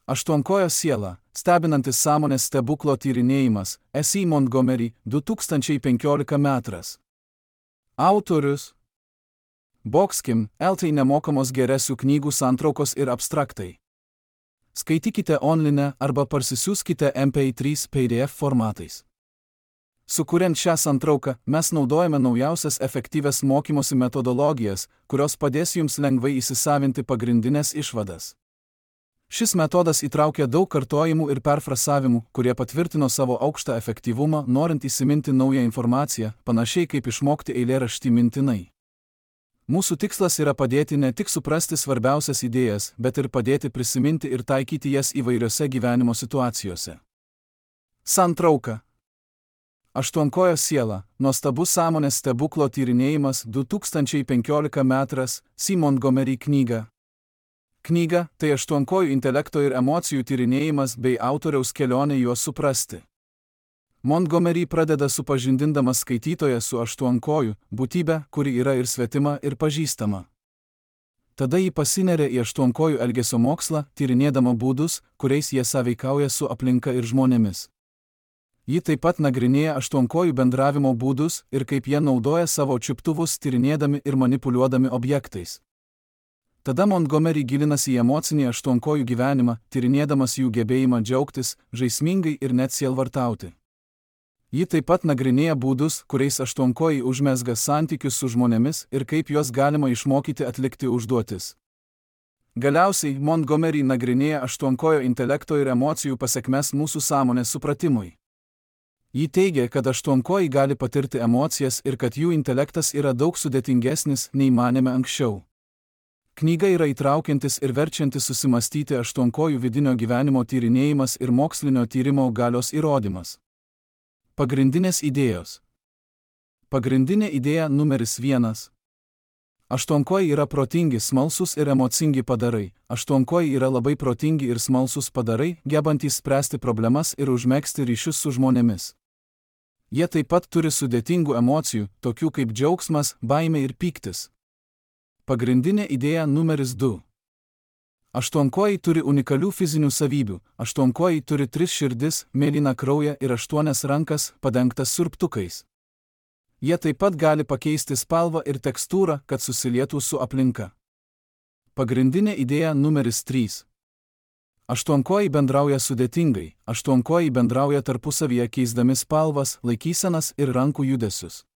Aštuonkojo siela – stebinantis sąmonės stebuklo tyrinėjimas, S.E. Montgomery, 2015 metras. Autorius Boxkim, LT nemokamos geresių knygų santraukos ir abstraktai. Skaitykite online arba parsisiųskite MP3 PDF formatais. Sukuriant šią santrauką, mes naudojame naujausias efektyvias mokymosi metodologijas, kurios padės jums lengvai įsisavinti pagrindinės išvadas. Šis metodas įtraukia daug kartojimų ir perfrasavimų, kurie patvirtino savo aukštą efektyvumą, norint įsiminti naują informaciją, panašiai kaip išmokti eilėraštį mintinai. Mūsų tikslas yra padėti ne tik suprasti svarbiausias idėjas, bet ir padėti prisiminti ir taikyti jas įvairiose gyvenimo situacijose. Santrauka. Aštuonkojo siela – nuostabus sąmonės stebuklo tyrinėjimas 2015 metras, S.E. Montgomery knyga. Knyga – tai aštuonkojų intelekto ir emocijų tyrinėjimas bei autoriaus kelionė juos suprasti. Montgomery pradeda supažindindamas skaitytoją su aštuonkoju, būtybe, kuri yra ir svetima, ir pažįstama. Tada ji pasineria į aštuonkojų elgesio mokslą, tyrinėdama būdus, kuriais jie sąveikauja su aplinka ir žmonėmis. Ji taip pat nagrinėja aštuonkojų bendravimo būdus ir kaip jie naudoja savo čiuptuvus tyrinėdami ir manipuliuodami objektais. Tada Montgomery gilinasi į emocinį aštuonkojų gyvenimą, tyrinėdamas jų gebėjimą džiaugtis, žaismingai ir net sielvartauti. Ji taip pat nagrinėja būdus, kuriais aštuonkojai užmezga santykius su žmonėmis ir kaip juos galima išmokyti atlikti užduotis. Galiausiai Montgomery nagrinėja aštuonkojo intelekto ir emocijų pasekmes mūsų sąmonės supratimui. Ji teigia, kad aštuonkojai gali patirti emocijas ir kad jų intelektas yra daug sudėtingesnis, nei manėme anksčiau. Knyga yra įtraukiantis ir verčiantis susimastyti aštuonkojų vidinio gyvenimo tyrinėjimas ir mokslinio tyrimo galios įrodymas. Pagrindinės idėjos. Pagrindinė idėja numeris 1. Aštuonkojai yra protingi, smalsūs ir emocingi padarai. Aštuonkojai yra labai protingi ir smalsūs padarai, gebantys spręsti problemas ir užmegzti ryšius su žmonėmis. Jie taip pat turi sudėtingų emocijų, tokių kaip džiaugsmas, baimė ir pyktis. Pagrindinė idėja numeris 2. Aštuonkojai turi unikalių fizinių savybių. Aštuonkojai turi 3 širdis, mėlyną kraują ir 8 rankas, padengtas siurbtukais. Jie taip pat gali pakeisti spalvą ir tekstūrą, kad susilietų su aplinka. Pagrindinė idėja numeris 3. Aštuonkojai bendrauja sudėtingai. Aštuonkojai bendrauja tarpusavyje keisdami spalvas, laikysenas ir rankų judesius.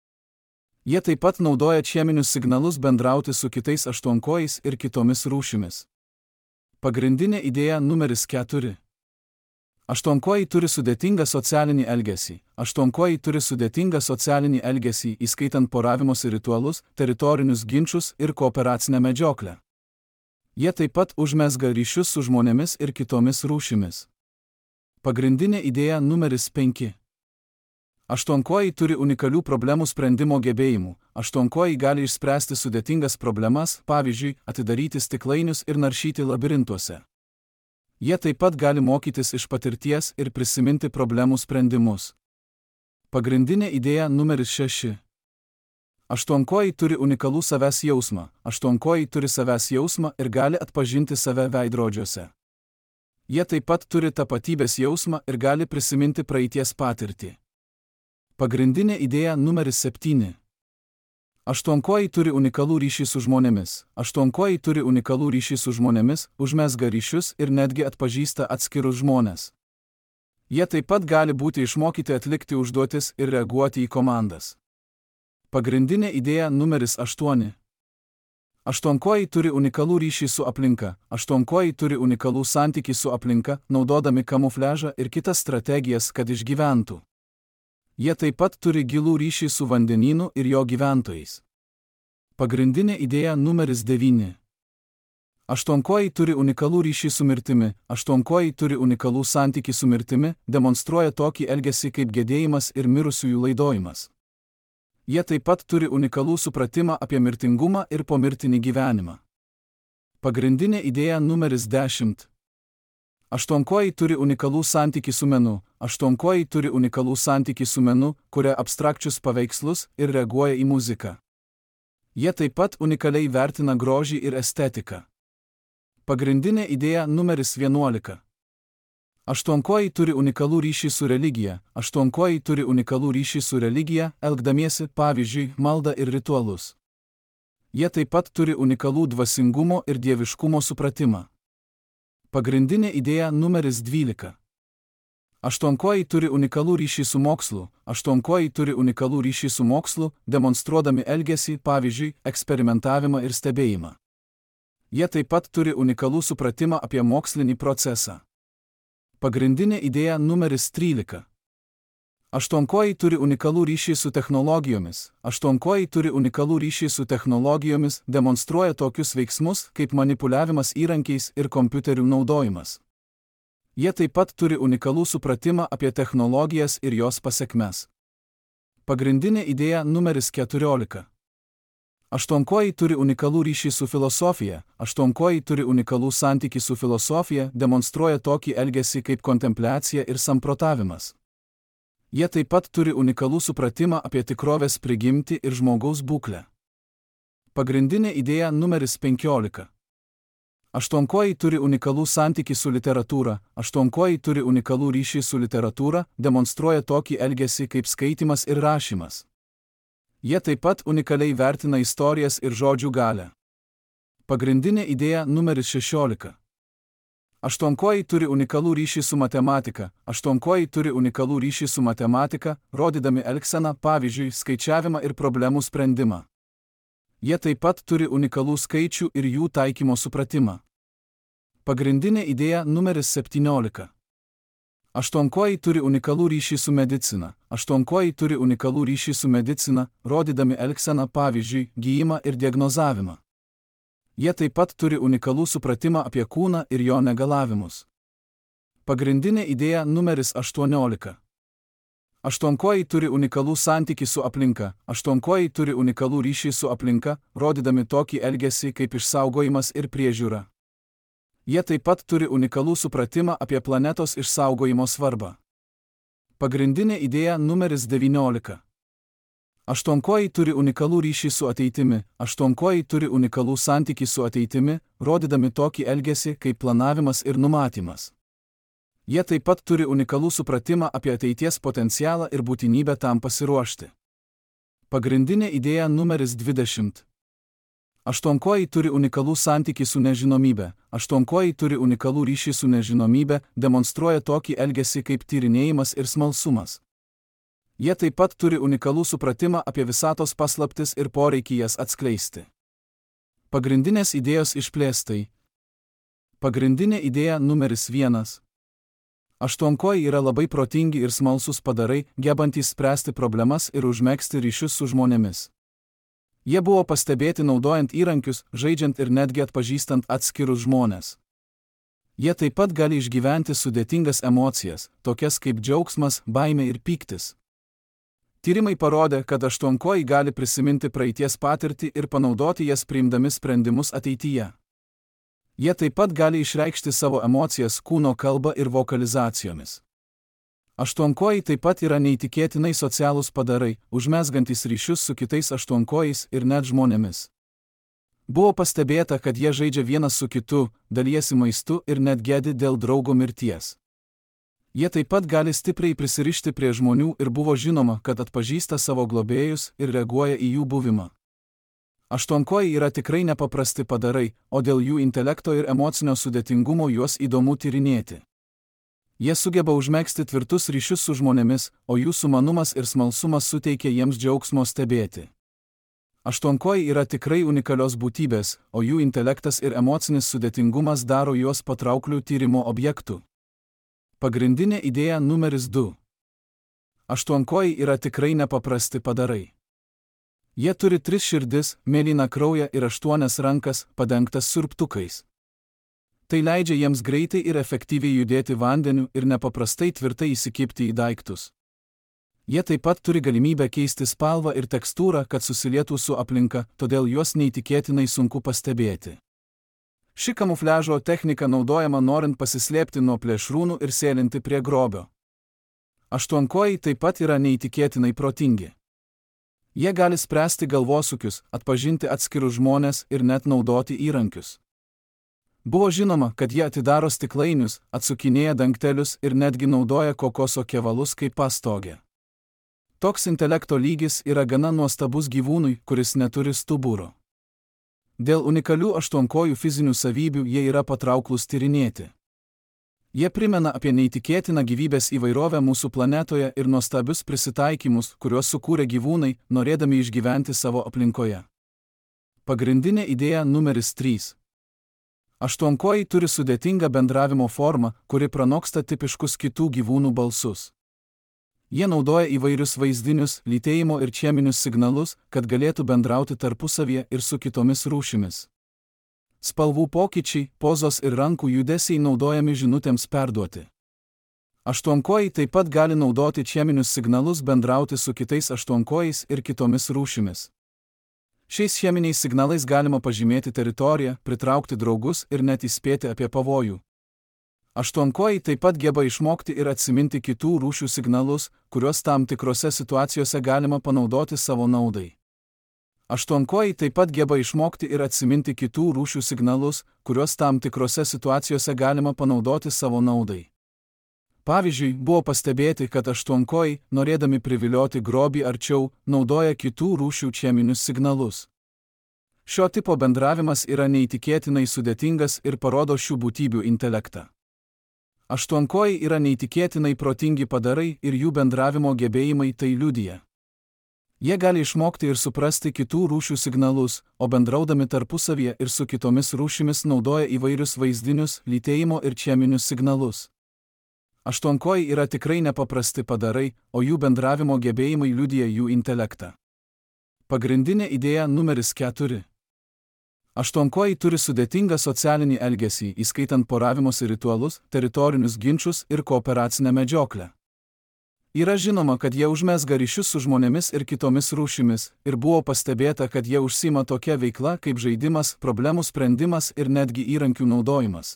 Jie taip pat naudoja cheminius signalus bendrauti su kitais aštuonkojais ir kitomis rūšimis. Pagrindinė idėja numeris 4. Aštuonkojai turi sudėtingą socialinį elgesį. Aštuonkojai turi sudėtingą socialinį elgesį, įskaitant poravimosi ritualus, teritorinius ginčus ir kooperacinę medžioklę. Jie taip pat užmezga ryšius su žmonėmis ir kitomis rūšimis. Pagrindinė idėja numeris 5. Aštuonkojai turi unikalių problemų sprendimo gebėjimų. Aštuonkojai gali išspręsti sudėtingas problemas, pavyzdžiui, atidaryti stiklainius ir naršyti labirintuose. Jie taip pat gali mokytis iš patirties ir prisiminti problemų sprendimus. Pagrindinė idėja numeris 6. Aštuonkojai turi unikalų savęs jausmą. Aštuonkojai turi savęs jausmą ir gali atpažinti save veidrodžiuose. Jie taip pat turi tapatybės jausmą ir gali prisiminti praeities patirtį. Pagrindinė idėja numeris 7. Aštuonkojai turi unikalų ryšį su žmonėmis. Aštuonkojai turi unikalų ryšį su žmonėmis, užmezga ryšius ir netgi atpažįsta atskirus žmones. Jie taip pat gali būti išmokyti atlikti užduotis ir reaguoti į komandas. Pagrindinė idėja numeris 8. Aštuonkojai turi unikalų ryšį su aplinka. Aštuonkojai turi unikalų santykį su aplinka, naudodami kamufliažą ir kitas strategijas, kad išgyventų. Jie taip pat turi gilų ryšį su vandenynu ir jo gyventojais. Pagrindinė idėja numeris 9. Aštuonkojai turi unikalų ryšį su mirtimi. Aštuonkojai turi unikalų santykį su mirtimi, demonstruoja tokį elgesį kaip gedėjimas ir mirusiųjų laidojimas. Jie taip pat turi unikalų supratimą apie mirtingumą ir pomirtinį gyvenimą. Pagrindinė idėja numeris 10. Aštuonkojai turi unikalų santykį su menu. Aštuonkojai turi unikalų santykį su menu, kuria abstrakčius paveikslus ir reaguoja į muziką. Jie taip pat unikaliai vertina grožį ir estetiką. Pagrindinė idėja numeris 11. Aštuonkojai turi unikalų ryšį su religija. Aštuonkojai turi unikalų ryšį su religija, elgdamiesi, pavyzdžiui, maldą ir ritualus. Jie taip pat turi unikalų dvasingumo ir dieviškumo supratimą. Pagrindinė idėja numeris 12. Aštuonkojai turi unikalų ryšį su mokslu. Aštuonkojai turi unikalų ryšį su mokslu, demonstruodami elgesį, pavyzdžiui, eksperimentavimą ir stebėjimą. Jie taip pat turi unikalų supratimą apie mokslinį procesą. Pagrindinė idėja numeris 13. Aštuonkojai turi unikalų ryšį su technologijomis. Aštuonkojai turi unikalų ryšį su technologijomis, demonstruoja tokius veiksmus, kaip manipuliavimas įrankiais ir kompiuterių naudojimas. Jie taip pat turi unikalų supratimą apie technologijas ir jos pasekmes. Pagrindinė idėja numeris 14. Aštuonkojai turi unikalų ryšį su filosofija. Aštuonkojai turi unikalų santykį su filosofija, demonstruoja tokį elgesį kaip kontempliacija ir samprotavimas. Jie taip pat turi unikalų supratimą apie tikrovės prigimtį ir žmogaus būklę. Pagrindinė idėja numeris 15. Aštuonkojai turi unikalų santykį su literatūra. Aštuonkojai turi unikalų ryšį su literatūra, demonstruoja tokį elgesį kaip skaitimas ir rašymas. Jie taip pat unikaliai vertina istorijas ir žodžių galią. Pagrindinė idėja numeris 16. Aštuonkojai turi unikalų ryšį su matematika. Aštuonkojai turi unikalų ryšį su matematika, rodydami elgseną, pavyzdžiui, skaičiavimą ir problemų sprendimą. Jie taip pat turi unikalų skaičių ir jų taikymo supratimą. Pagrindinė idėja numeris 17. Aštuonkojai turi unikalų ryšį su medicina. Aštuonkojai turi unikalų ryšį su medicina, rodydami elgseną, pavyzdžiui, gijimą ir diagnozavimą. Jie taip pat turi unikalų supratimą apie kūną ir jo negalavimus. Pagrindinė idėja numeris 18. Aštuonkojai turi unikalų santykį su aplinka. Aštuonkojai turi unikalų ryšį su aplinka, rodydami tokį elgesį kaip išsaugojimas ir priežiūra. Jie taip pat turi unikalų supratimą apie planetos išsaugojimo svarbą. Pagrindinė idėja numeris 19. Aštuonkojai turi unikalų ryšį su ateitimi. Aštuonkojai turi unikalų santykį su ateitimi, rodydami tokį elgesį kaip planavimas ir numatymas. Jie taip pat turi unikalų supratimą apie ateities potencialą ir būtinybę tam pasiruošti. Pagrindinė idėja numeris 20. Aštuonkojai turi unikalų santykį su nežinomybe. Aštuonkojai turi unikalų ryšį su nežinomybe, demonstruoja tokį elgesį kaip tyrinėjimas ir smalsumas. Jie taip pat turi unikalų supratimą apie visatos paslaptis ir poreikį jas atskleisti. Pagrindinės idėjos išplėstai. Pagrindinė idėja numeris 1. Aštuonkojai yra labai protingi ir smalsūs padarai, gebantys spręsti problemas ir užmegzti ryšius su žmonėmis. Jie buvo pastebėti naudojant įrankius, žaidžiant ir netgi atpažįstant atskirus žmones. Jie taip pat gali išgyventi sudėtingas emocijas, tokias kaip džiaugsmas, baimė ir pyktis. Tyrimai parodė, kad aštuonkojai gali prisiminti praeities patirtį ir panaudoti jas priimdami sprendimus ateityje. Jie taip pat gali išreikšti savo emocijas kūno kalba ir vokalizacijomis. Aštuonkojai taip pat yra neįtikėtinai socialūs padarai, užmezgantys ryšius su kitais aštuonkojais ir net žmonėmis. Buvo pastebėta, kad jie žaidžia vienas su kitu, dalijasi maistu ir net gedi dėl draugo mirties. Jie taip pat gali stipriai prisirišti prie žmonių ir buvo žinoma, kad atpažįsta savo globėjus ir reaguoja į jų buvimą. Aštuonkojai yra tikrai nepaprasti padarai, o dėl jų intelekto ir emocinio sudėtingumo juos įdomu tyrinėti. Jie sugeba užmegzti tvirtus ryšius su žmonėmis, o jų sumanumas ir smalsumas suteikia jiems džiaugsmo stebėti. Aštuonkojai yra tikrai unikalios būtybės, o jų intelektas ir emocinis sudėtingumas daro juos patrauklių tyrimo objektų. Pagrindinė idėja numeris 2. Aštuonkojai yra tikrai nepaprasti padarai. Jie turi 3 širdis, mėlyną kraują ir 8 rankas, padengtas siurbtukais. Tai leidžia jiems greitai ir efektyviai judėti vandeniu ir nepaprastai tvirtai įsikibti į daiktus. Jie taip pat turi galimybę keisti spalvą ir tekstūrą, kad susilietų su aplinka, todėl juos neįtikėtinai sunku pastebėti. Ši kamufliažo technika naudojama norint pasislėpti nuo plėšrūnų ir sėlinti prie grobio. Aštuonkojai taip pat yra neįtikėtinai protingi. Jie gali spręsti galvosūkius, atpažinti atskirus žmones ir net naudoti įrankius. Buvo žinoma, kad jie atidaro stiklainius, atsukinėja dangtelius ir netgi naudoja kokoso kevalus kaip pastogę. Toks intelekto lygis yra gana nuostabus gyvūnui, kuris neturi stuburo. Dėl unikalių aštuonkojų fizinių savybių jie yra patrauklūs tyrinėti. Jie primena apie neįtikėtiną gyvybės įvairovę mūsų planetoje ir nuostabius prisitaikymus, kuriuos sukūrė gyvūnai, norėdami išgyventi savo aplinkoje. Pagrindinė idėja numeris 3. Aštuonkojai turi sudėtingą bendravimo formą, kuri pranoksta tipiškus kitų gyvūnų balsus. Jie naudoja įvairius vaizdinius, lytėjimo ir cheminius signalus, kad galėtų bendrauti tarpusavyje ir su kitomis rūšimis. Spalvų pokyčiai, pozos ir rankų judesiai naudojami žinutėms perduoti. Aštuonkojai taip pat gali naudoti cheminius signalus bendrauti su kitais aštuonkojais ir kitomis rūšimis. Šiais cheminiais signalais galima pažymėti teritoriją, pritraukti draugus ir net įspėti apie pavojų. Aštuonkojai taip pat geba išmokti ir atsiminti kitų rūšių signalus, kuriuos tam tikrose situacijose galima panaudoti savo naudai. Aštuonkojai taip pat geba išmokti ir atsiminti kitų rūšių signalus, kuriuos tam tikrose situacijose galima panaudoti savo naudai. Pavyzdžiui, buvo pastebėti, kad aštuonkojai, norėdami privilioti grobį arčiau, naudoja kitų rūšių cheminius signalus. Šio tipo bendravimas yra neįtikėtinai sudėtingas ir parodo šių būtybių intelektą. Aštuonkojai yra neįtikėtinai protingi padarai ir jų bendravimo gebėjimai tai liudija. Jie gali išmokti ir suprasti kitų rūšių signalus, o bendraudami tarpusavyje ir su kitomis rūšimis naudoja įvairius vaizdinius, lytėjimo ir cheminius signalus. Aštuonkojai yra tikrai nepaprasti padarai, o jų bendravimo gebėjimai liudija jų intelektą. Pagrindinė idėja numeris 4. Aštuonkojai turi sudėtingą socialinį elgesį, įskaitant poravimosi ritualus, teritorinius ginčus ir kooperacinę medžioklę. Yra žinoma, kad jie užmezga ryšius su žmonėmis ir kitomis rūšimis, ir buvo pastebėta, kad jie užsiima tokia veikla kaip žaidimas, problemų sprendimas ir netgi įrankių naudojimas.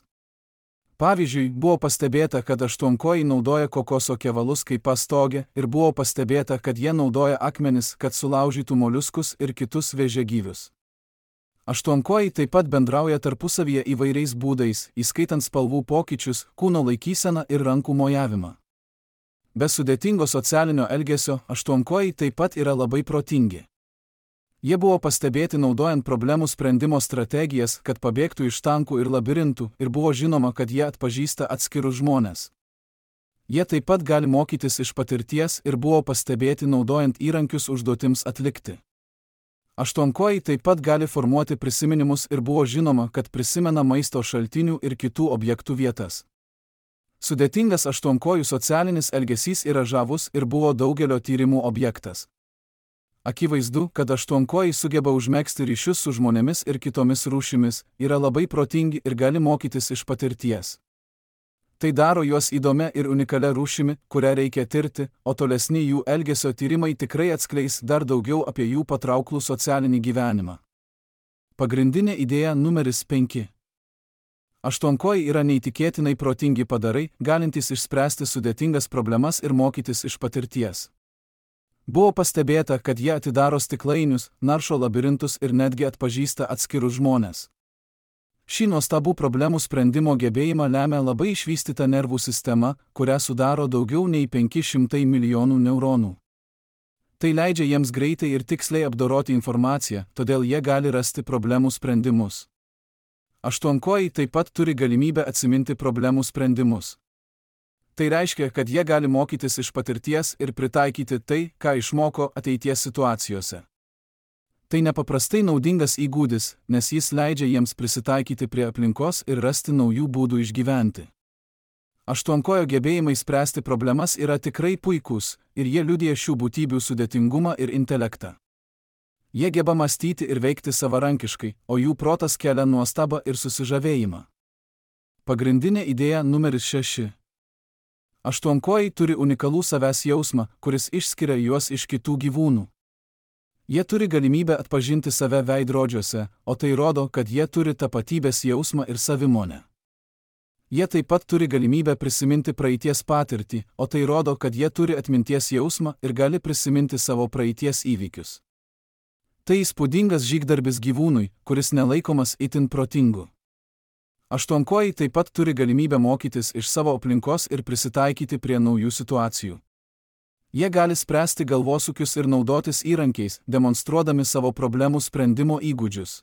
Pavyzdžiui, buvo pastebėta, kad aštuonkojai naudoja kokoso kevalus kaip pastogę ir buvo pastebėta, kad jie naudoja akmenis, kad sulaužytų moliuskus ir kitus vėžiagyvius. Aštuonkojai taip pat bendrauja tarpusavyje įvairiais būdais, įskaitant spalvų pokyčius, kūno laikyseną ir rankų mojavimą. Be sudėtingo socialinio elgesio, aštuonkojai taip pat yra labai protingi. Jie buvo pastebėti naudojant problemų sprendimo strategijas, kad pabėgtų iš tankų ir labirintų, ir buvo žinoma, kad jie atpažįsta atskirus žmones. Jie taip pat gali mokytis iš patirties ir buvo pastebėti naudojant įrankius užduotims atlikti. Aštuonkojai taip pat gali formuoti prisiminimus ir buvo žinoma, kad prisimena maisto šaltinių ir kitų objektų vietas. Sudėtingas aštuonkojų socialinis elgesys yra žavus ir buvo daugelio tyrimų objektas. Akivaizdu, kad aštuonkojai sugeba užmegzti ryšius su žmonėmis ir kitomis rūšimis, yra labai protingi ir gali mokytis iš patirties. Tai daro juos įdomia ir unikalia rūšimi, kurią reikia tirti, o tolesni jų elgesio tyrimai tikrai atskleis dar daugiau apie jų patrauklų socialinį gyvenimą. Pagrindinė idėja numeris 5. Aštuonkojai yra neįtikėtinai protingi padarai, galintys išspręsti sudėtingas problemas ir mokytis iš patirties. Buvo pastebėta, kad jie atidaro stiklainius, naršo labirintus ir netgi atpažįsta atskirus žmones. Šį nuostabų problemų sprendimo gebėjimą lemia labai išvystyta nervų sistema, kurią sudaro daugiau nei 500 milijonų neuronų. Tai leidžia jiems greitai ir tiksliai apdoroti informaciją, todėl jie gali rasti problemų sprendimus. Aštuonkojai taip pat turi galimybę atsiminti problemų sprendimus. Tai reiškia, kad jie gali mokytis iš patirties ir pritaikyti tai, ką išmoko ateities situacijose. Tai nepaprastai naudingas įgūdis, nes jis leidžia jiems prisitaikyti prie aplinkos ir rasti naujų būdų išgyventi. Aštuonkojo gebėjimai spręsti problemas yra tikrai puikūs, ir jie liudija šių būtybių sudėtingumą ir intelektą. Jie geba mąstyti ir veikti savarankiškai, o jų protas kelia nuostabą ir susižavėjimą. Pagrindinė idėja numeris 6. Aštuonkojai turi unikalų savęs jausmą, kuris išskiria juos iš kitų gyvūnų. Jie turi galimybę atpažinti save veidrodžiuose, o tai rodo, kad jie turi tapatybės jausmą ir savimonę. Jie taip pat turi galimybę prisiminti praeities patirtį, o tai rodo, kad jie turi atminties jausmą ir gali prisiminti savo praeities įvykius. Tai įspūdingas žygdarbis gyvūnui, kuris nelaikomas itin protingu. Aštuonkojai taip pat turi galimybę mokytis iš savo aplinkos ir prisitaikyti prie naujų situacijų. Jie gali spręsti galvosūkius ir naudotis įrankiais, demonstruodami savo problemų sprendimo įgūdžius.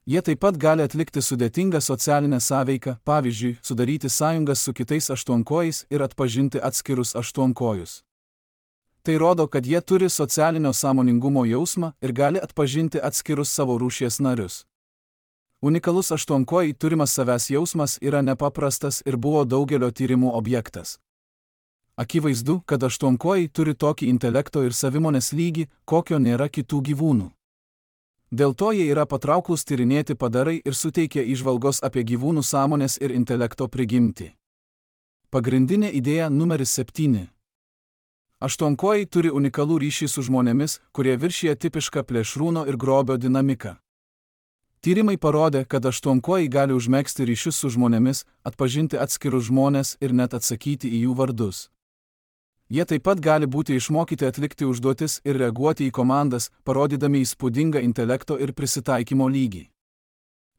Jie taip pat gali atlikti sudėtingą socialinę sąveiką, pavyzdžiui, sudaryti sąjungas su kitais aštuonkojais ir atpažinti atskirus aštuonkojus. Tai rodo, kad jie turi socialinio sąmoningumo jausmą ir gali atpažinti atskirus savo rūšies narius. Unikalus aštuonkojai turimas savęs jausmas yra nepaprastas ir buvo daugelio tyrimų objektas. Akivaizdu, kad aštuonkojai turi tokį intelekto ir savimonės lygį, kokio nėra kitų gyvūnų. Dėl to jie yra patrauklūs tyrinėti padarai ir suteikia įžvalgos apie gyvūnų sąmonės ir intelekto prigimtį. Pagrindinė idėja numeris 7. Aštuonkojai turi unikalų ryšį su žmonėmis, kurie viršija tipišką plėšrūno ir grobio dinamiką. Tyrimai parodė, kad aštuonkojai gali užmegzti ryšius su žmonėmis, atpažinti atskirus žmones ir net atsakyti į jų vardus. Jie taip pat gali būti išmokyti atlikti užduotis ir reaguoti į komandas, parodydami įspūdingą intelekto ir prisitaikymo lygį.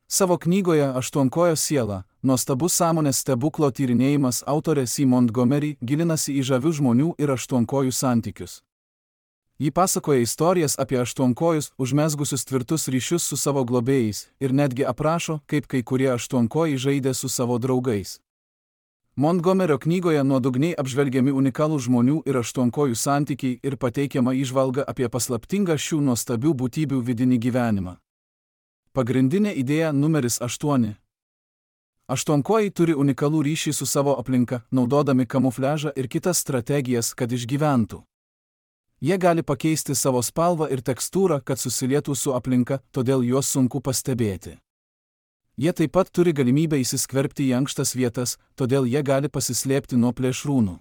Savo knygoje Aštuonkojo siela – nuostabus sąmonės stebuklo tyrinėjimas autorė C. Montgomery gilinasi į žavių žmonių ir aštuonkojų santykius. Ji pasakoja istorijas apie aštuonkojus, užmezgusius tvirtus ryšius su savo globėjais ir netgi aprašo, kaip kai kurie aštuonkojai žaidė su savo draugais. Montgomerio knygoje nuodugniai apžvelgiami unikalų žmonių ir aštuonkojų santykiai ir pateikiama įžvalga apie paslaptingą šių nuostabių būtybių vidinį gyvenimą. Pagrindinė idėja numeris 8. Aštuonkojai turi unikalų ryšį su savo aplinka, naudodami kamufliažą ir kitas strategijas, kad išgyventų. Jie gali pakeisti savo spalvą ir tekstūrą, kad susilietų su aplinka, todėl juos sunku pastebėti. Jie taip pat turi galimybę įsiskverbti į ankštas vietas, todėl jie gali pasislėpti nuo plėšrūnų.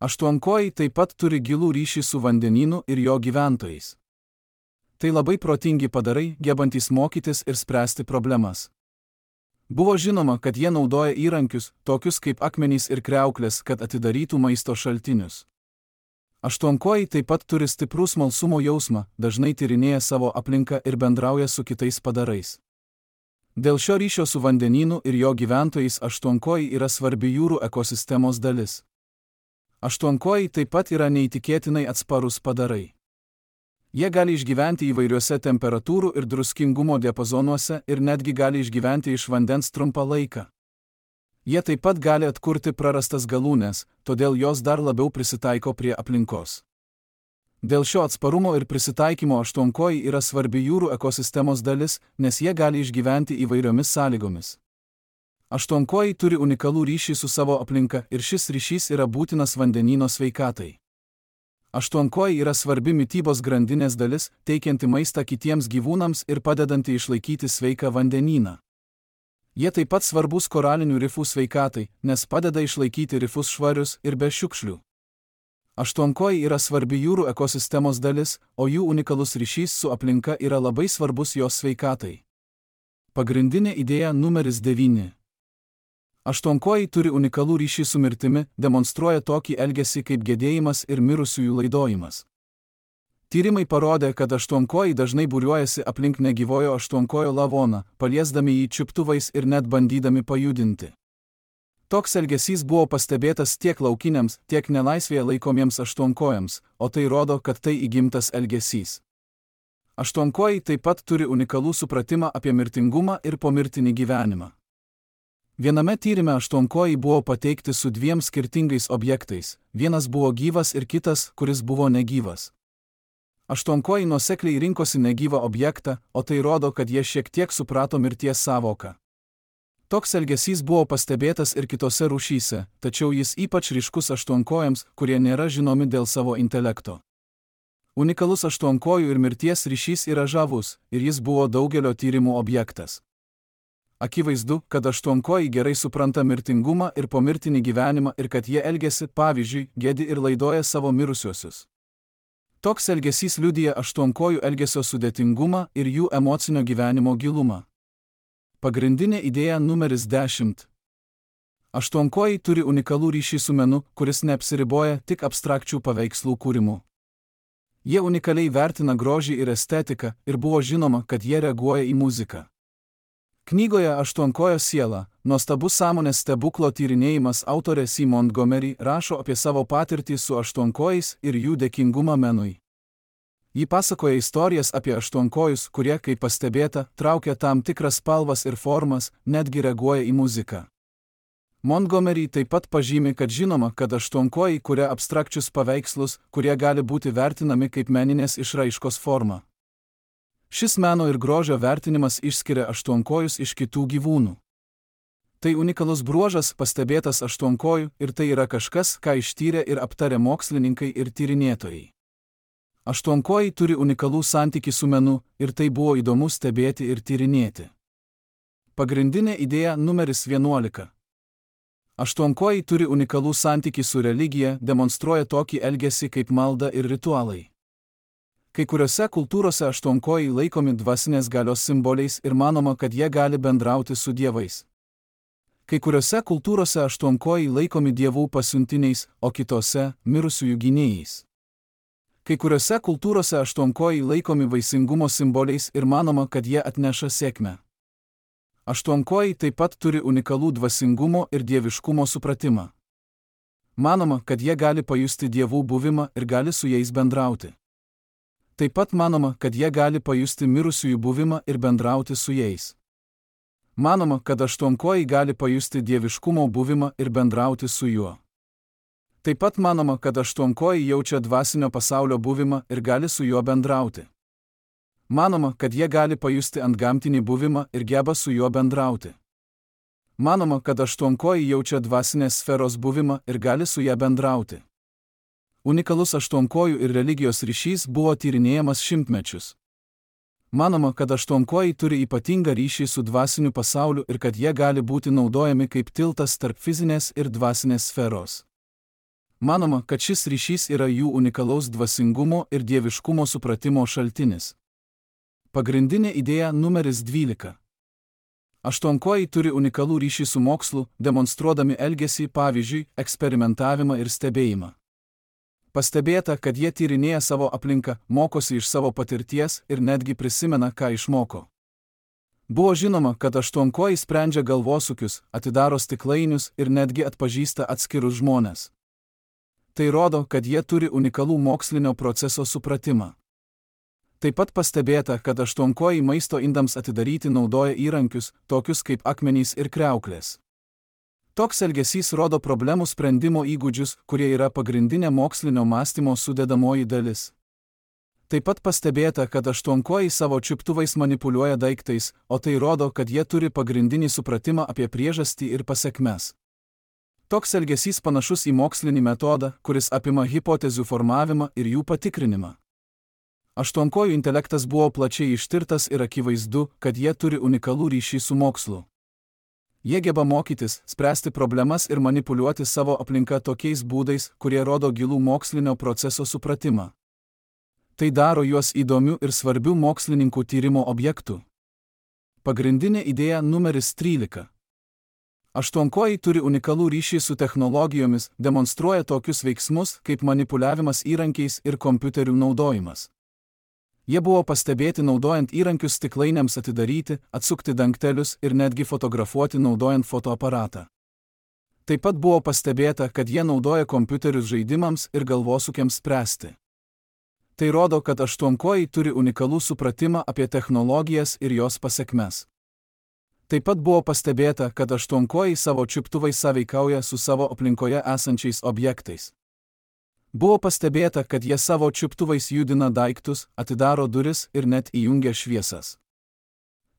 Aštuonkojai taip pat turi gilų ryšį su vandenynu ir jo gyventojais. Tai labai protingi padarai, gebantys mokytis ir spręsti problemas. Buvo žinoma, kad jie naudoja įrankius, tokius kaip akmenys ir kriauklės, kad atidarytų maisto šaltinius. Aštuonkojai taip pat turi stiprų smalsumo jausmą, dažnai tyrinėja savo aplinką ir bendrauja su kitais padarais. Dėl šio ryšio su vandenynu ir jo gyventojais aštuonkojai yra svarbi jūrų ekosistemos dalis. Aštuonkojai taip pat yra neįtikėtinai atsparūs padarai. Jie gali išgyventi įvairiuose temperatūrų ir druskingumo diapazonuose ir netgi gali išgyventi iš vandens trumpą laiką. Jie taip pat gali atkurti prarastas galūnes, todėl jos dar labiau prisitaiko prie aplinkos. Dėl šio atsparumo ir prisitaikymo aštuonkojai yra svarbi jūrų ekosistemos dalis, nes jie gali išgyventi įvairiomis sąlygomis. Aštuonkojai turi unikalų ryšį su savo aplinka ir šis ryšys yra būtinas vandenyno sveikatai. Aštuonkojai yra svarbi mitybos grandinės dalis, teikianti maistą kitiems gyvūnams ir padedanti išlaikyti sveiką vandenyną. Jie taip pat svarbus koralinių rifų sveikatai, nes padeda išlaikyti rifus švarius ir be šiukšlių. Aštuonkojai yra svarbi jūrų ekosistemos dalis, o jų unikalus ryšys su aplinka yra labai svarbus jos sveikatai. Pagrindinė idėja numeris 9. Aštuonkojai turi unikalų ryšį su mirtimi, demonstruoja tokį elgesį kaip gedėjimas ir mirusiųjų laidojimas. Tyrimai parodė, kad aštuonkojai dažnai būriuojasi aplink negyvojo aštuonkojo lavoną, paliesdami jį čiuptuvais ir net bandydami pajudinti. Toks elgesys buvo pastebėtas tiek laukiniams, tiek nelaisvėje laikomiems aštuonkojams, o tai rodo, kad tai įgimtas elgesys. Aštuonkojai taip pat turi unikalų supratimą apie mirtingumą ir pomirtinį gyvenimą. Viename tyrime aštuonkojai buvo pateikti su 2 skirtingais objektais, vienas buvo gyvas ir kitas, kuris buvo negyvas. Aštuonkojai nuosekliai rinkosi negyvą objektą, o tai rodo, kad jie šiek tiek suprato mirties sąvoką. Toks elgesys buvo pastebėtas ir kitose rūšyse, tačiau jis ypač ryškus aštuonkojams, kurie nėra žinomi dėl savo intelekto. Unikalus aštuonkojų ir mirties ryšys yra žavus, ir jis buvo daugelio tyrimų objektas. Akivaizdu, kad aštuonkojai gerai supranta mirtingumą ir pomirtinį gyvenimą ir kad jie elgiasi, pavyzdžiui, gedi ir laidoja savo mirusiuosius. Toks elgesys liudija aštuonkojų elgesio sudėtingumą ir jų emocinio gyvenimo gilumą. Pagrindinė idėja numeris 10. Aštuonkojai turi unikalų ryšį su menu, kuris neapsiriboja tik abstrakčių paveikslų kūrimu. Jie unikaliai vertina grožį ir estetiką ir buvo žinoma, kad jie reaguoja į muziką. Knygoje Aštuonkojo siela, nuostabus sąmonės stebuklo tyrinėjimas autorė C. Montgomery rašo apie savo patirtį su aštuonkojais ir jų dėkingumą menui. Ji pasakoja istorijas apie aštuonkojus, kurie, kaip pastebėta, traukia tam tikras spalvas ir formas, netgi reaguoja į muziką. Montgomery taip pat pažymi, kad žinoma, kad aštuonkojai kuria abstrakčius paveikslus, kurie gali būti vertinami kaip meninės išraiškos forma. Šis meno ir grožio vertinimas išskiria aštuonkojus iš kitų gyvūnų. Tai unikalus bruožas pastebėtas aštuonkojų ir tai yra kažkas, ką ištyrė ir aptarė mokslininkai ir tyrinėtojai. Aštuonkojai turi unikalų santykį su menu ir tai buvo įdomu stebėti ir tyrinėti. Pagrindinė idėja numeris 11. Aštuonkojai turi unikalų santykį su religija, demonstruoja tokį elgesį kaip malda ir ritualai. Kai kuriuose kultūrose aštuonkojai laikomi dvasinės galios simboliais ir manoma, kad jie gali bendrauti su dievais. Kai kuriuose kultūrose aštuonkojai laikomi dievų pasiuntiniais, o kitose – mirusiųjų gynėjais. Kai kuriuose kultūrose aštuonkojai laikomi vaisingumo simboliais ir manoma, kad jie atneša sėkmę. Aštuonkojai taip pat turi unikalų dvasingumo ir dieviškumo supratimą. Manoma, kad jie gali pajusti dievų buvimą ir gali su jais bendrauti. Taip pat manoma, kad jie gali pajusti mirusiųjų buvimą ir bendrauti su jais. Manoma, kad aštuonkojai gali pajusti dieviškumo buvimą ir bendrauti su juo. Taip pat manoma, kad aštuonkojai jaučia dvasinio pasaulio buvimą ir gali su juo bendrauti. Manoma, kad jie gali pajusti antgamtinį buvimą ir geba su juo bendrauti. Manoma, kad aštuonkojai jaučia dvasinės sferos buvimą ir gali su ja bendrauti. Unikalus aštuonkojų ir religijos ryšys buvo tyrinėjamas šimtmečius. Manoma, kad aštuonkojai turi ypatingą ryšį su dvasiniu pasauliu ir kad jie gali būti naudojami kaip tiltas tarp fizinės ir dvasinės sferos. Manoma, kad šis ryšys yra jų unikalaus dvasingumo ir dieviškumo supratimo šaltinis. Pagrindinė idėja numeris 12. Aštuonkojai turi unikalų ryšį su mokslu, demonstruodami elgesį, pavyzdžiui, eksperimentavimą ir stebėjimą. Pastebėta, kad jie tyrinėja savo aplinką, mokosi iš savo patirties ir netgi prisimena, ką išmoko. Buvo žinoma, kad aštuonkojai sprendžia galvosūkius, atidaro stiklainius ir netgi atpažįsta atskirus žmones. Tai rodo, kad jie turi unikalų mokslinio proceso supratimą. Taip pat pastebėta, kad aštuonkojai maisto indams atidaryti naudoja įrankius, tokius kaip akmenys ir kriauklės. Toks elgesys rodo problemų sprendimo įgūdžius, kurie yra pagrindinė mokslinio mąstymo sudedamoji dalis. Taip pat pastebėta, kad aštuonkojai savo čiuptuvais manipuliuoja daiktais, o tai rodo, kad jie turi pagrindinį supratimą apie priežastį ir pasekmes. Toks elgesys panašus į mokslinį metodą, kuris apima hipotezių formavimą ir jų patikrinimą. Aštuonkojų intelektas buvo plačiai ištirtas ir akivaizdu, kad jie turi unikalų ryšį su mokslu. Jie geba mokytis, spręsti problemas ir manipuliuoti savo aplinką tokiais būdais, kurie rodo gilų mokslinio proceso supratimą. Tai daro juos įdomių ir svarbių mokslininkų tyrimo objektų. Pagrindinė idėja numeris 13. Aštuonkojai turi unikalų ryšį su technologijomis, demonstruoja tokius veiksmus, kaip manipuliavimas įrankiais ir kompiuterių naudojimas. Jie buvo pastebėti naudojant įrankius stiklainiams atidaryti, atsukti dangtelius ir netgi fotografuoti naudojant fotoaparatą. Taip pat buvo pastebėta, kad jie naudoja kompiuterius žaidimams ir galvosūkiams spręsti. Tai rodo, kad aštuonkojai turi unikalų supratimą apie technologijas ir jos pasekmes. Taip pat buvo pastebėta, kad aštuonkojai savo čiuptuvais sąveikauja su savo aplinkoje esančiais objektais. Buvo pastebėta, kad jie savo čiuptuvais judina daiktus, atidaro duris ir net įjungia šviesas.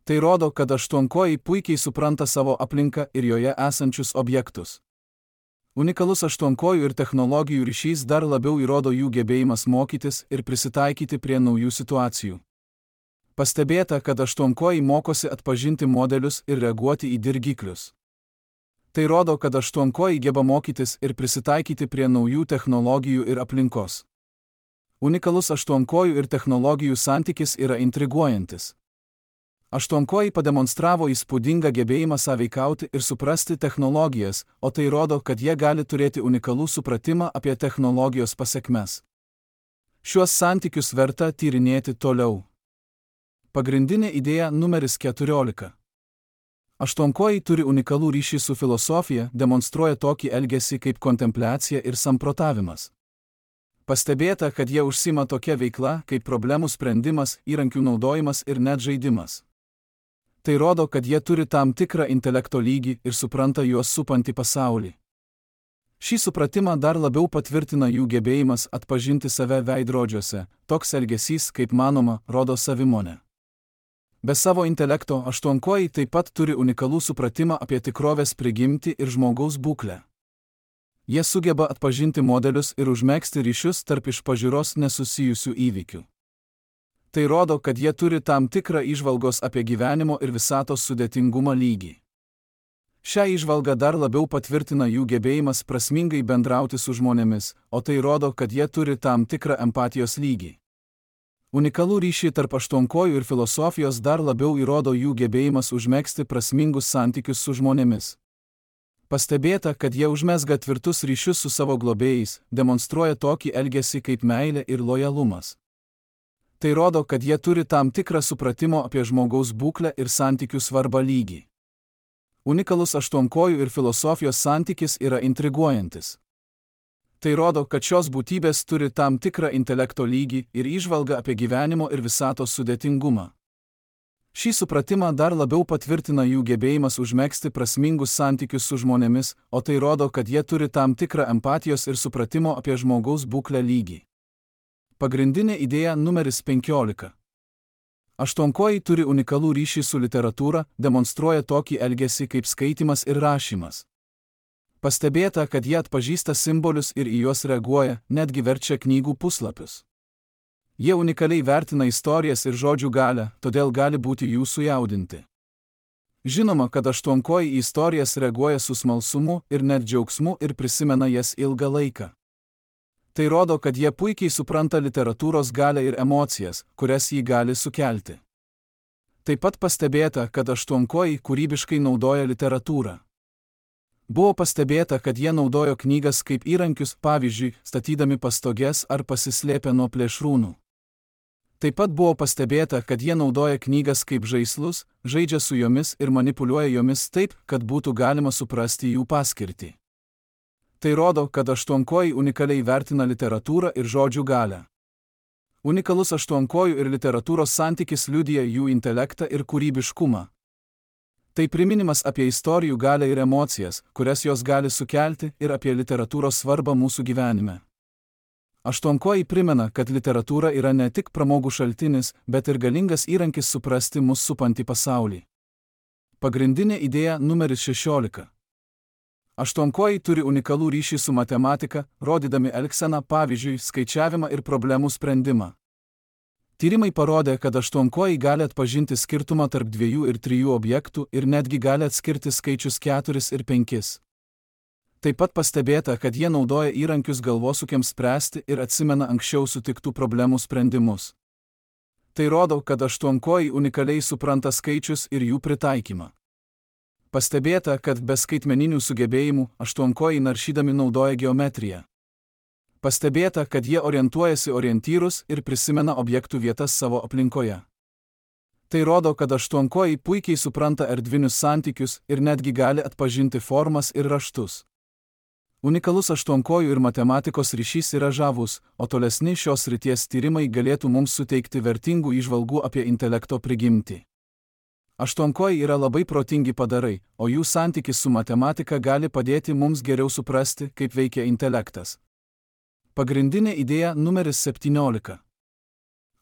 Tai rodo, kad aštuonkojai puikiai supranta savo aplinką ir joje esančius objektus. Unikalus aštuonkojų ir technologijų ryšys dar labiau įrodo jų gebėjimas mokytis ir prisitaikyti prie naujų situacijų. Pastebėta, kad aštuonkojai mokosi atpažinti modelius ir reaguoti į dirgiklius. Tai rodo, kad aštuonkojai geba mokytis ir prisitaikyti prie naujų technologijų ir aplinkos. Unikalus aštuonkojų ir technologijų santykis yra intriguojantis. Aštuonkojai pademonstravo įspūdingą gebėjimą sąveikauti ir suprasti technologijas, o tai rodo, kad jie gali turėti unikalų supratimą apie technologijos pasekmes. Šiuos santykius verta tyrinėti toliau. Pagrindinė idėja numeris 14. Aštuonkojai turi unikalų ryšį su filosofija, demonstruoja tokį elgesį kaip kontempliacija ir samprotavimas. Pastebėta, kad jie užsima tokia veikla, kaip problemų sprendimas, įrankių naudojimas ir net žaidimas. Tai rodo, kad jie turi tam tikrą intelekto lygį ir supranta juos supantį pasaulį. Šį supratimą dar labiau patvirtina jų gebėjimas atpažinti save veidrodžiuose, toks elgesys, kaip manoma, rodo savimonę. Be savo intelekto aštuonkojai taip pat turi unikalų supratimą apie tikrovės prigimtį ir žmogaus būklę. Jie sugeba atpažinti modelius ir užmegzti ryšius tarp iš pažiūros nesusijusių įvykių. Tai rodo, kad jie turi tam tikrą įžvalgos apie gyvenimo ir visatos sudėtingumo lygį. Šią įžvalgą dar labiau patvirtina jų gebėjimas prasmingai bendrauti su žmonėmis, o tai rodo, kad jie turi tam tikrą empatijos lygį. Unikalų ryšį tarp aštuonkojų ir filosofijos dar labiau įrodo jų gebėjimas užmegzti prasmingus santykius su žmonėmis. Pastebėta, kad jie užmezga tvirtus ryšius su savo globėjais, demonstruoja tokį elgesį kaip meilė ir lojalumas. Tai rodo, kad jie turi tam tikrą supratimo apie žmogaus būklę ir santykių svarbą lygį. Unikalus aštuonkojų ir filosofijos santykis yra intriguojantis. Tai rodo, kad šios būtybės turi tam tikrą intelekto lygį ir įžvalgą apie gyvenimo ir visatos sudėtingumą. Šį supratimą dar labiau patvirtina jų gebėjimas užmegzti prasmingus santykius su žmonėmis, o tai rodo, kad jie turi tam tikrą empatijos ir supratimo apie žmogaus būklę lygį. Pagrindinė idėja numeris 15. Aštuonkojai turi unikalų ryšį su literatūra, demonstruoja tokį elgesį kaip skaitimas ir rašymas. Pastebėta, kad jie atpažįsta simbolius ir į juos reaguoja, netgi verčia knygų puslapius. Jie unikaliai vertina istorijas ir žodžių galią, todėl gali būti jų sujaudinti. Žinoma, kad aštuonkojai į istorijas reaguoja su smalsumu ir net džiaugsmu ir prisimena jas ilgą laiką. Tai rodo, kad jie puikiai supranta literatūros galią ir emocijas, kurias jį gali sukelti. Taip pat pastebėta, kad aštuonkojai kūrybiškai naudoja literatūrą. Buvo pastebėta, kad jie naudojo knygas kaip įrankius, pavyzdžiui, statydami pastoges ar pasislėpę nuo plėšrūnų. Taip pat buvo pastebėta, kad jie naudoja knygas kaip žaislus, žaidžia su jomis ir manipuliuoja jomis taip, kad būtų galima suprasti jų paskirtį. Tai rodo, kad aštuonkojai unikaliai vertina literatūrą ir žodžių galią. Unikalus aštuonkojų ir literatūros santykis liudija jų intelektą ir kūrybiškumą. Tai priminimas apie istorijų galią ir emocijas, kurias jos gali sukelti, ir apie literatūros svarbą mūsų gyvenime. Aštuonkojai primena, kad literatūra yra ne tik pramogų šaltinis, bet ir galingas įrankis suprasti mus supantį pasaulį. Pagrindinė idėja numeris 16. Aštuonkojai turi unikalų ryšį su matematika, rodydami elgseną, pavyzdžiui, skaičiavimą ir problemų sprendimą. Tyrimai parodė, kad aštuonkojai gali atpažinti skirtumą tarp 2 ir 3 objektų ir netgi gali atskirti skaičius 4 ir 5. Taip pat pastebėta, kad jie naudoja įrankius galvosūkiams spręsti ir atsimena anksčiau sutiktų problemų sprendimus. Tai rodo, kad aštuonkojai unikaliai supranta skaičius ir jų pritaikymą. Pastebėta, kad be skaitmeninių sugebėjimų aštuonkojai naršydami naudoja geometriją. Pastebėta, kad jie orientuojasi orientyrus ir prisimena objektų vietas savo aplinkoje. Tai rodo, kad aštuonkojai puikiai supranta erdvinius santykius ir netgi gali atpažinti formas ir raštus. Unikalus aštuonkojų ir matematikos ryšys yra žavus, o tolesni šios srities tyrimai galėtų mums suteikti vertingų įžvalgų apie intelekto prigimtį. Aštuonkojai yra labai protingi padarai, o jų santykis su matematika gali padėti mums geriau suprasti, kaip veikia intelektas. Pagrindinė idėja numeris 17.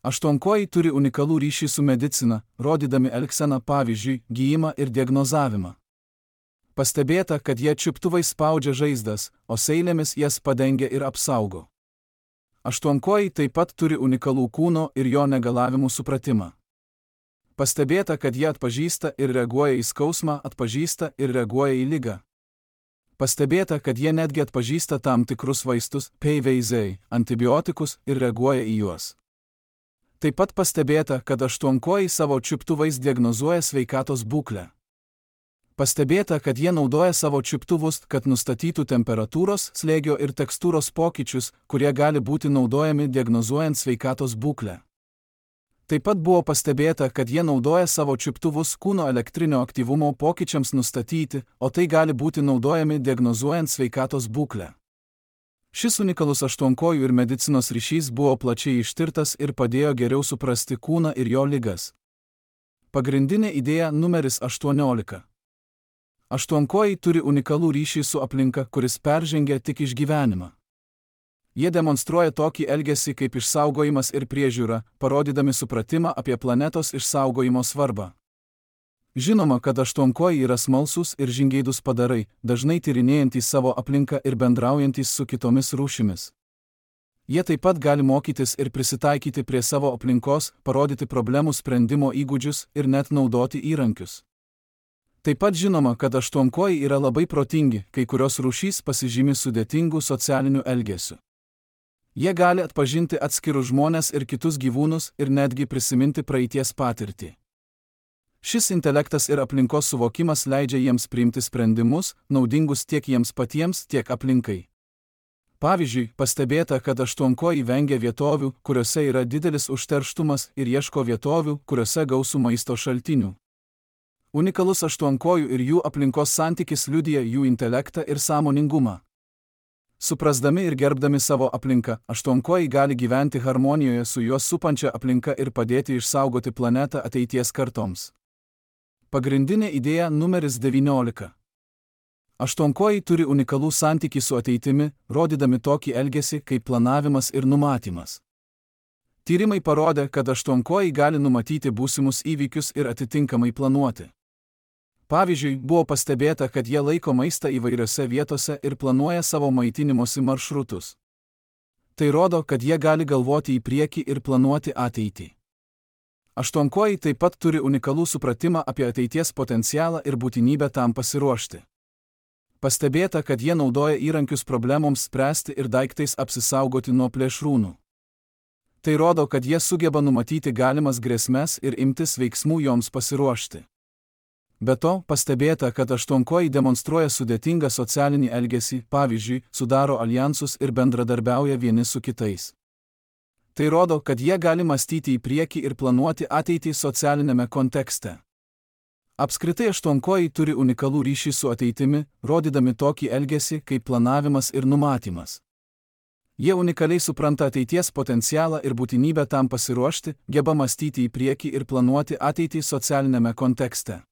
Aštuonkojai turi unikalų ryšį su medicina, rodydami elgseną, pavyzdžiui, gijimą ir diagnozavimą. Pastebėta, kad jie čiuptuvai spaudžia žaizdas, o seilėmis jas padengia ir apsaugo. Aštuonkojai taip pat turi unikalų kūno ir jo negalavimų supratimą. Pastebėta, kad jie atpažįsta ir reaguoja į skausmą, atpažįsta ir reaguoja į ligą. Pastebėta, kad jie netgi atpažįsta tam tikrus vaistus, PVZ, antibiotikus ir reaguoja į juos. Taip pat pastebėta, kad aštuonkojai savo čiuptuvais diagnozuoja sveikatos būklę. Pastebėta, kad jie naudoja savo čiuptuvus, kad nustatytų temperatūros, slėgio ir tekstūros pokyčius, kurie gali būti naudojami diagnozuojant sveikatos būklę. Taip pat buvo pastebėta, kad jie naudoja savo čiuptuvus kūno elektrinio aktyvumo pokyčiams nustatyti, o tai gali būti naudojami diagnozuojant sveikatos būklę. Šis unikalus aštuonkojų ir medicinos ryšys buvo plačiai ištirtas ir padėjo geriau suprasti kūną ir jo ligas. Pagrindinė idėja numeris 18. Aštuonkojai turi unikalų ryšį su aplinka, kuris peržengia tik išgyvenimą. Jie demonstruoja tokį elgesį kaip išsaugojimas ir priežiūra, parodydami supratimą apie planetos išsaugojimo svarbą. Žinoma, kad aštuonkojai yra smalsūs ir žingeidūs padarai, dažnai tyrinėjantys savo aplinką ir bendraujantys su kitomis rūšimis. Jie taip pat gali mokytis ir prisitaikyti prie savo aplinkos, parodyti problemų sprendimo įgūdžius ir net naudoti įrankius. Taip pat žinoma, kad aštuonkojai yra labai protingi, kai kurios rūšys pasižymi sudėtingų socialinių elgesių. Jie gali atpažinti atskirus žmones ir kitus gyvūnus ir netgi prisiminti praeities patirtį. Šis intelektas ir aplinkos suvokimas leidžia jiems priimti sprendimus, naudingus tiek jiems patiems, tiek aplinkai. Pavyzdžiui, pastebėta, kad aštuonkojai vengia vietovių, kuriuose yra didelis užterštumas ir ieško vietovių, kuriuose gausu maisto šaltinių. Unikalus aštuonkojų ir jų aplinkos santykis liudija jų intelektą ir sąmoningumą. Suprasdami ir gerbdami savo aplinką, aštuonkojai gali gyventi harmonijoje su juos supančia aplinka ir padėti išsaugoti planetą ateities kartoms. Pagrindinė idėja numeris 19. Aštuonkojai turi unikalų santykį su ateitimi, rodydami tokį elgesį kaip planavimas ir numatymas. Tyrimai parodė, kad aštuonkojai gali numatyti būsimus įvykius ir atitinkamai planuoti. Pavyzdžiui, buvo pastebėta, kad jie laiko maistą įvairiose vietose ir planuoja savo maitinimosi maršrutus. Tai rodo, kad jie gali galvoti į priekį ir planuoti ateitį. Aštuonkojai taip pat turi unikalų supratimą apie ateities potencialą ir būtinybę tam pasiruošti. Pastebėta, kad jie naudoja įrankius problemoms spręsti ir daiktais apsisaugoti nuo plėšrūnų. Tai rodo, kad jie sugeba numatyti galimas grėsmes ir imtis veiksmų joms pasiruošti. Be to, pastebėta, kad aštuonkojai demonstruoja sudėtingą socialinį elgesį, pavyzdžiui, sudaro aljansus ir bendradarbiauja vieni su kitais. Tai rodo, kad jie gali mąstyti į priekį ir planuoti ateitį socialinėme kontekste. Apskritai aštuonkojai turi unikalų ryšį su ateitimi, rodydami tokį elgesį kaip planavimas ir numatymas. Jie unikaliai supranta ateities potencialą ir būtinybę tam pasiruošti, geba mąstyti į priekį ir planuoti ateitį socialinėme kontekste.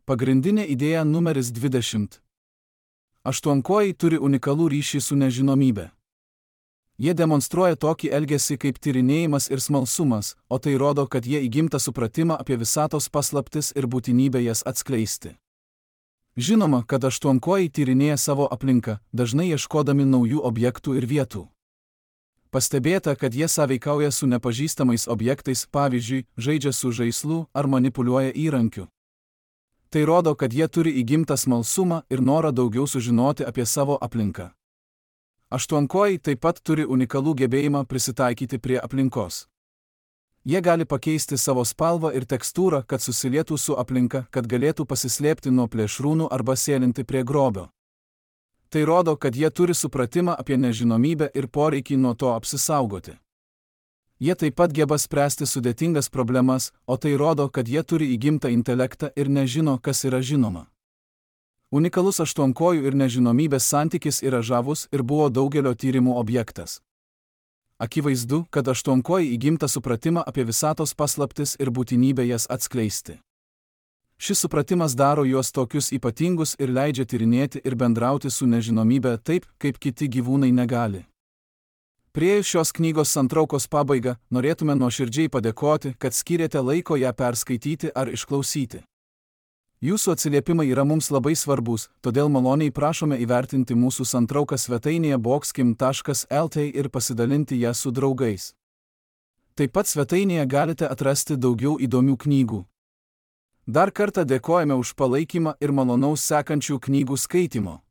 Pagrindinė idėja numeris 20. Aštuonkojai turi unikalų ryšį su nežinomybe. Jie demonstruoja tokį elgesį kaip tyrinėjimas ir smalsumas, o tai rodo, kad jie įgimta supratimą apie visatos paslaptis ir būtinybę jas atskleisti. Žinoma, kad aštuonkojai tyrinėja savo aplinką, dažnai ieškodami naujų objektų ir vietų. Pastebėta, kad jie sąveikauja su nepažįstamais objektais, pavyzdžiui, žaidžia su žaislu ar manipuliuoja įrankiu. Tai rodo, kad jie turi įgimtą smalsumą ir norą daugiau sužinoti apie savo aplinką. Aštuonkojai taip pat turi unikalų gebėjimą prisitaikyti prie aplinkos. Jie gali pakeisti savo spalvą ir tekstūrą, kad susilietų su aplinka, kad galėtų pasislėpti nuo plėšrūnų arba sėlinti prie grobio. Tai rodo, kad jie turi supratimą apie nežinomybę ir poreikį nuo to apsisaugoti. Jie taip pat geba spręsti sudėtingas problemas, o tai rodo, kad jie turi įgimtą intelektą ir nežino, kas yra žinoma. Unikalus aštuonkojų ir nežinomybės santykis yra žavus ir buvo daugelio tyrimų objektas. Akivaizdu, kad aštuonkojai įgimtą supratimą apie visatos paslaptis ir būtinybę jas atskleisti. Šis supratimas daro juos tokius ypatingus ir leidžia tyrinėti ir bendrauti su nežinomybe taip, kaip kiti gyvūnai negali. Priėjus šios knygos santraukos pabaigą, norėtume nuoširdžiai padėkoti, kad skyrėte laiko ją perskaityti ar išklausyti. Jūsų atsiliepimai yra mums labai svarbus, todėl maloniai prašome įvertinti mūsų santrauką svetainėje boxkim.lt ir pasidalinti ją su draugais. Taip pat svetainėje galite atrasti daugiau įdomių knygų. Dar kartą dėkojame už palaikymą ir malonaus sekančių knygų skaitimo.